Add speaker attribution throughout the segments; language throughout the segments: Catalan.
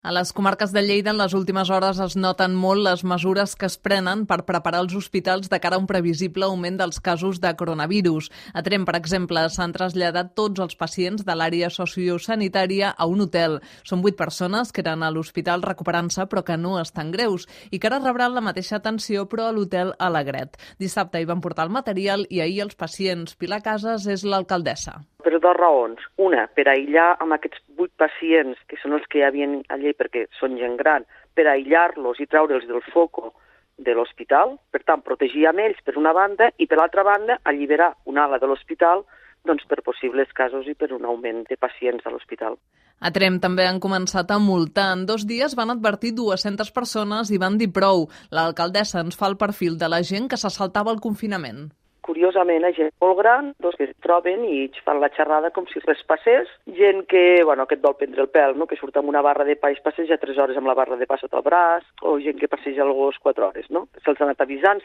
Speaker 1: A les comarques de Lleida en les últimes hores es noten molt les mesures que es prenen per preparar els hospitals de cara a un previsible augment dels casos de coronavirus. A Tremp, per exemple, s'han traslladat tots els pacients de l'àrea sociosanitària a un hotel. Són 8 persones que eren a l'hospital recuperant-se però que no estan greus i que ara rebran la mateixa atenció però a l'hotel Alegret. Dissabte hi van portar el material i ahir els pacients. Pilar Casas és l'alcaldessa.
Speaker 2: Per dues raons. Una, per aïllar amb aquests 8 pacients, que són els que hi havia allà perquè són gent gran, per aïllar-los i treure'ls del foco de l'hospital, per tant, protegir amb ells per una banda i per l'altra banda alliberar una ala de l'hospital per possibles casos i per un augment de pacients a l'hospital.
Speaker 1: A Tremp també han començat a multar. En 2 dies van advertir 200 persones i van dir prou. L'alcaldessa ens fa el perfil de la gent que se saltava el confinament.
Speaker 2: Curiosament, hi ha gent molt gran, que es troben i fan la xerrada com si res passés. Gent que et vol prendre el pèl, que surt amb una barra de pa i es passeja 3 hores amb la barra de pa sota el braç, o gent que passeja el gos 4 hores. Se'ls ha anat avisant,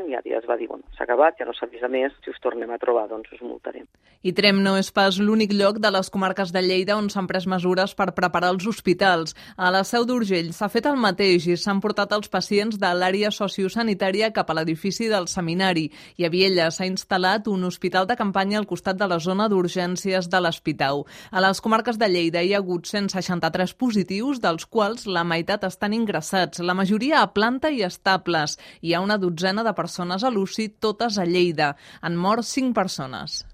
Speaker 2: i ara ja es va dir, s'ha acabat, ja no s'avisa més, si us tornem a trobar, us multarem.
Speaker 1: I Tremp no és pas l'únic lloc de les comarques de Lleida on s'han pres mesures per preparar els hospitals. A la Seu d'Urgell s'ha fet el mateix i s'han portat els pacients de l'àrea sociosanitària cap a l'edifici del seminari. I a Viella s'ha instal·lat un hospital de campanya al costat de la zona d'urgències de l'Espitau. A les comarques de Lleida hi ha hagut 163 positius, dels quals la meitat estan ingressats, la majoria a planta i estables. Hi ha una dotzena de persones a l'UCI, totes a Lleida. Han mort 5 persones.